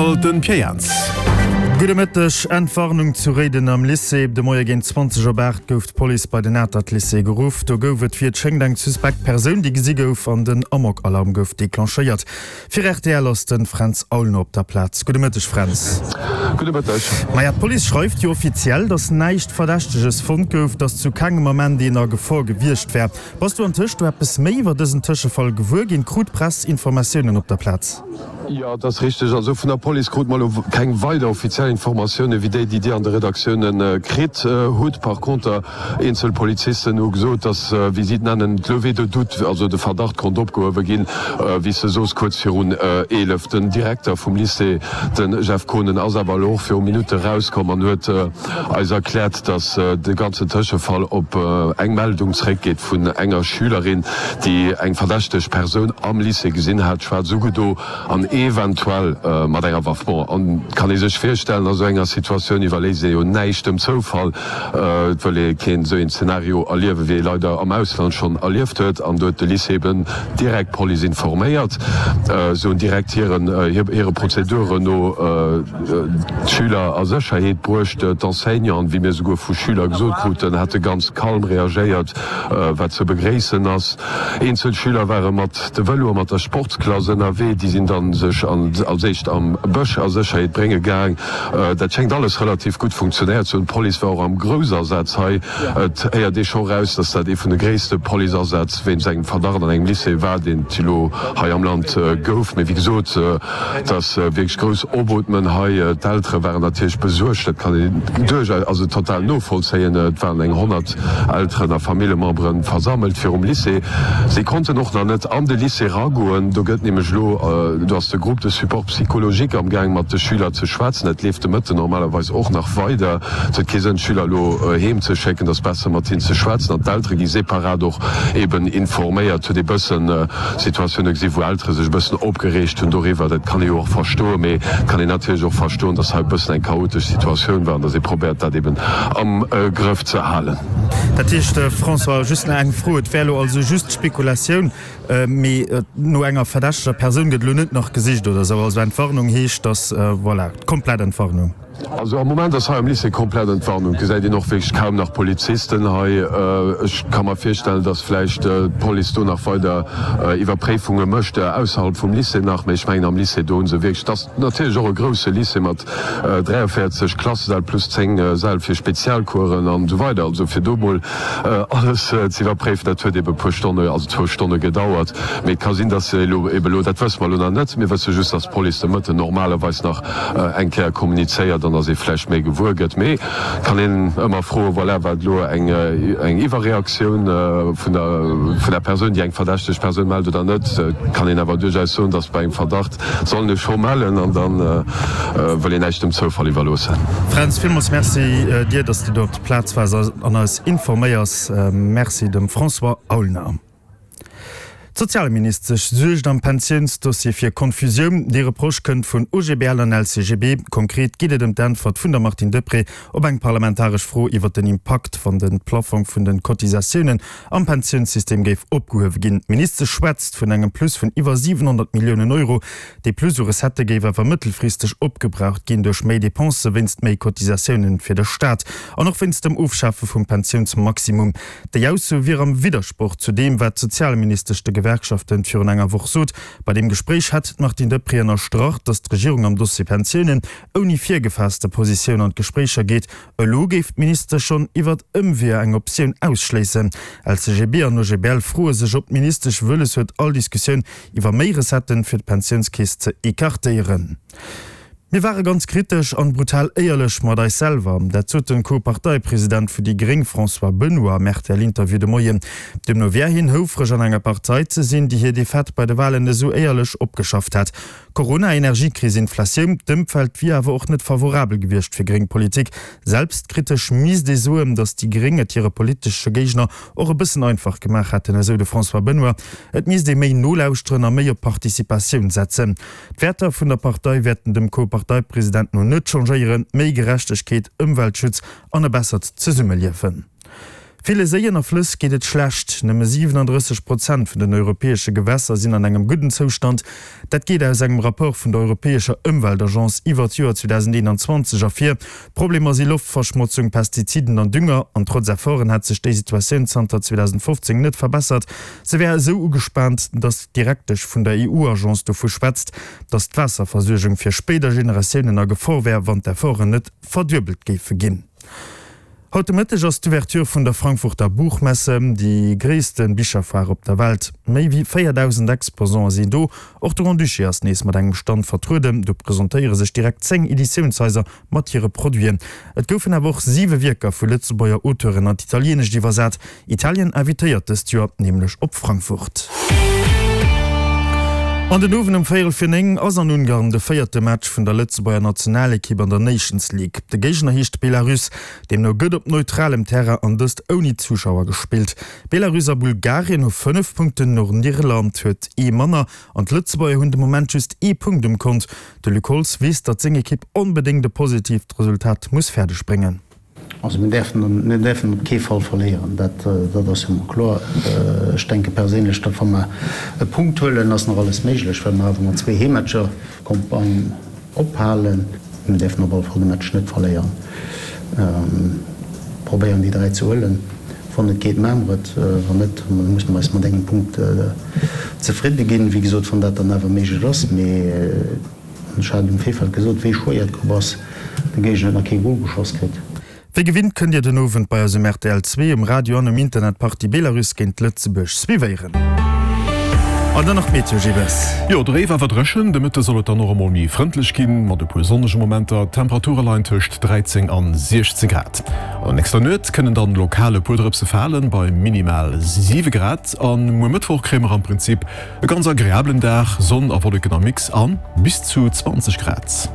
Journal, den Pierre Jans. Gudde Mëtteg. Entwarnung zu Réiden am Lycée. De Moie géint 20 op 8 gouf d'Police bei den Atert Lycée geruff. Do gouf et, wéi et schéngt, eng suspekt Persoun, déi gesi gouf an den Amok-Alarm gouf declenchéiert. Fir rtl ass de Fränz Aulner op der Plaz. Gudde Mëtteg, Fränz. Gudde Mëtteg. Maja, d'Police schreift jo offiziell, datt näischt Verdächteges fonnt gouf, datt zu kengem Ament een a Gefor gewiescht wär. Bass du antëscht do eppes méi iwwer dësen Tëschefall gewuer ginn? Krut d'Press Informatiounen op der Plaz? Jo, et ass richteg. Also vun der Police krute mer elo keng weider offiziell Informatioune wéi déi, déi Dir an de Redaktioune kritt hutt. Par conter, eenzel Polizisten hu gesot, datt, wéi si et nennen, d'Levée de doute, also de Verdacht konnt opgehuewe ginn, wéi s de soos, kuerz virun 11. Den Direkter vum Lycée, de Jeff Kohnen, ass awer elo och viru Minutte rauskomm an huet, eis erkläert, dass de ganzen Tëschefall op eng Meldung zeréckgeet vun enger Schülerin, déi eng verdächteg Persoun am Lycée gesinn hat, schwaarz ugedo an eventuell mat enger Waff. Bon, an kann ee sech virstellen, a sou enger Situatioun iwwerléisst ee jo näischt dem Zoufall. Et wëll ee keen esou een Zenario erliewen, wéi ee leider am Ausland schonn erlieft huet. An do huet de Lycée eben direkt d'Police informéiert. Se hunn direkt hiren hire Prozeduren no d'Schüler a Sécherheet bruecht. D'Enseignanten, wéi mir souguer vu Schüler gesot kruten, hätte ganz kalm reagéiert, wat ze begréissen ass. Eenzel Schüler ware mat de Vëlo a mat der Sportsklass ënnerwee. Déi sinn dann sech als éischt am Bësch a Sécherheet brénge gaang. Dat schéngt alles relativ gutt funktionéiert ze hunn. D'Police war och am Groussasaz hei. Et héiert ee scho raus, datt dat ee vun de gréisste Policeasätz wéinst engem Verdacht an engem Lycée war, deen et elo hei am Land gouf. Mee wéi gesot, Et ass wierklech grouss Obootmen hei. D'Eltere waren natierlech besuergt, dat kann een duerchaus, also total novollzéien. Et waren eng 100 Elteren a Familljemembere versammelt virum Lycée. Si konnten och nach net an de Lycée eragoen. Do gëtt nämlech elo, do ass de Groupe de support psychologique amgaang mat de Schüler ze schwätzen. Dat leeft de Mëtten normalerweis och nach weider. Et huet kee Sënn d'Schüler elo heem ze schécken, et ass besser mat hinnen ze schwätzen. An d'Eltere gi separat och eben informéiert. Huet ee bëssen Situatioune gesi wou Eltere sech e bëssen opgereegt hunn doriwwer. Dat kann ee jo och verstoen, mee et kann een natierlech och verstoen, datt hei e bëssen eng chaotesch Situatioun war an datt ee probéiert dat eben am Grëff ze halen. Dat heescht, François, just nach eng Fro, et wär elo also just Spekulatioun, mee no enger verdächteger Persoun gëtt elo net nach gesicht oder esou? Also Entwarnung heescht, datt, voilà, komplett Entwarnung? Also am Moment ass hei am Lycée komplett Entwarnung. Et gesäit een och wierklech kaum nach Polizisten hei. Ech ka mer virstellen, datt vläicht d'Police do nach weider Iwwerpréifunge mécht, ausserhalb vum Lycée nach. Mee ech mengen am Lycée do hu se wierklech, et ass natierlech och e grousse Lycée mat 43 Klassesäll plus 10 Säll fir Spezialcoursen an esou weider. Also fir do mol alles ze iwwerpréifen, dat huet ebe puer Stonne, also zwou Stonne gedauert. Mee et ka sinn, datt se elo ebe elo, dat wësse mer elo nach net, mir wësse just, datt d'Police de Mëtten normalerweis nach eng Kéier kommunizéiert an datt ee vläicht méi gewuer gëtt. Mee et kann een ëmmer froen, voilà, war et elo eng Iwwerreaktioun vun der vun der Persoun, déi eng verdächteg Persoun mellt oder net? Et kann een awer duerchaus soen, datt bei engem Verdacht soll een e scho mellen an da wëll een näischt dem Zoufall iwwerloossen. Fränz, villmools Merci dir, datt s de do op der Plaz waars an eis informéiers. Merci dem François Aulner. D'Sozialministesch suergt am Pensiounsdossier fir Konfusioun. Dee Reproche kënnt vun OGBL an LCGB. Konkret geet et ëm d'Äntwert vun der Martine Deprez op eng parlamentaresch Fro iwwer den Impakt, wann de Plaffong vun de Cotisatiounen am Pensiounssystem géif opgehuewe ginn. D'Ministesch schwätzt vun engem Plus vun iwwer 700 Milliounen Euro. Dee Plus u Recettë géif awer mëttelfristeg opgebraucht ginn duerch méi Depensë wéinst méi Cotisatiounen fir de Staat an och wéinst dem Ofschafe vum Pensiounsmaximum. Déi Ausso wier am Widdersproch zu deem, wat d'Sozialministesch de Gewerkschaften virun enger Woch sot. Bei deem Gespréich hätt d'Martine Deprez ënnerstrach, datt d'Regierung am Dossier Pensiounen ouni virgefaasste Positioun an d'Gespréicher geet. Elo géif d'Ministesch schonn iwwert Ëmweeër eng Optioun ausschléissen. LCGB an OGBL froe sech, ob d'Ministesch wëlles huet, all Diskussioun iwwer méi Recetten fir d'Pensiounskeess ze ecartéieren. Mir ware ganz kritesch an brutal éierlech mat eis selwer. Dat sot den Co-Parteipresident vu déi gréng François Benoy am RTL-Interview de Moien. Deemno wär hien houfreg an enger Partei ze sinn, déi hir Defaite bei de Walen esou éierlech opgeschafft hätt. Corona, Energiekris, Inflatioun, d'Ëmfeld wier awer och net favorabel gewiescht fir gréng Politik. Selbstkritesch misst ee soen, datt déi gréng et hire politesche Géigner och e bëssen einfach gemaach hätten, esou de François Benoy. Et misst ee méi nolauschteren a méi op Participatioun setzen. D'Wäerter vun der Partei wäerten dem Co-Parteipresident no net changéieren, méi Gerechtegkeet, Ëmweltschutz an e bessert Zesummeliewen. Ville Séien a Flëss geet et schlecht. Nëmme 37 Prozent vun den europäesche Gewässer sinn an engem gudden Zoustand. Dat geet aus engem Rapport vun der europäescher Ëmweltagence iwwer d'Joer 2021 ervir. D'Problemer si Loftverschmotzung, Pestiziden an Dünger. An trotz Efforten hätt sech déi Situatioun zanter 2015 net verbessert. Se wär esou ugespaant, datt d'Direktesch vun der EU-Agence dovu schwätzt, datt d'Waasserversuergung fir spéider Generatiounen a Gefor wär, wann d'Efforten net verduebelt géife ginn. Haut de Mëtteg ass d'Ouverture vun der Frankfurter Buchmesse, déi gréisste Bicherfoire op der Welt. Méi wéi 4.000 Exposante sinn do. Och de Grand-Duché ass nees mat engem Stand vertrueden. Do presentéiere sech direkt 10 Editiounshaiser mat hire Produiten. Et goufen awer och siwe Wierker vu Lëtzebuerger Auteuren an d'Italienescht iwwersat. Italien invitéiert dëst Joer nämlech op Frankfurt. An den Owend um véierel fir 9 ass an Ungarn de véierte Match vun der Lëtzebuerger Nationalekipp an der Nations League. De Géigner heescht Belarus. Deemno gëtt op neutralem Terrain an dëst ouni Zuschauer gespillt. Belarus a Bulgarien hu 5 Punkten, Nordirland huet ee manner an d'Lëtzebuerger hunn de Moment just ee Punkt um Kont. De Luc Holtz weess, datt seng Ekipp onbedéngt e positiivt Resultat muss fäerdeg bréngen. Also mir däerfen, mir däerfen op kee Fall verléieren, dat, dat ass jo mol kloer. Ech denke perséinlech, datt wa mer e Punkt huelen, ass nach alles méiglech, well mer awer mat zwee Heemmatcher d'Campagne ophalen. Mir däerfen op alle Fall de Match net verléieren. Probéieren déi 3 ze huelen. Wann et geet, maache mer et. Wann net, da musse mer eis mat engem Punkt zefridde ginn. Wéi gesot, wann dat dann awer méiglech ass. Mee. Ech hat um Virfeld gesot, wéi schwéier d'Grupp ass. De Géigner huet nach kee Gol geschoss kritt. Wéi gewinnt kënnt Dir den Owend bei eis um rtl 2, um Radio an um Internet d'Partie Belarus géint Lëtzebuerg suivéieren. An dann nach d'Meteo, Gilles. Jo, dréif awer dréchen. De Mëtte soll et dann och emol méi frëndlech ginn, mat e puer sonnege Momenter. D'Temperature leien tëscht 13 an 16 Grad. An der nächster Nuet kënnen dann lokal e puer Drëpse falen, bei minimal 7 Grad. A muer Mëttwoch kréie mer am Prinzip E ganz agreablen Dag, Sonn a Wolleken am Mix an bis zu 20 Grad.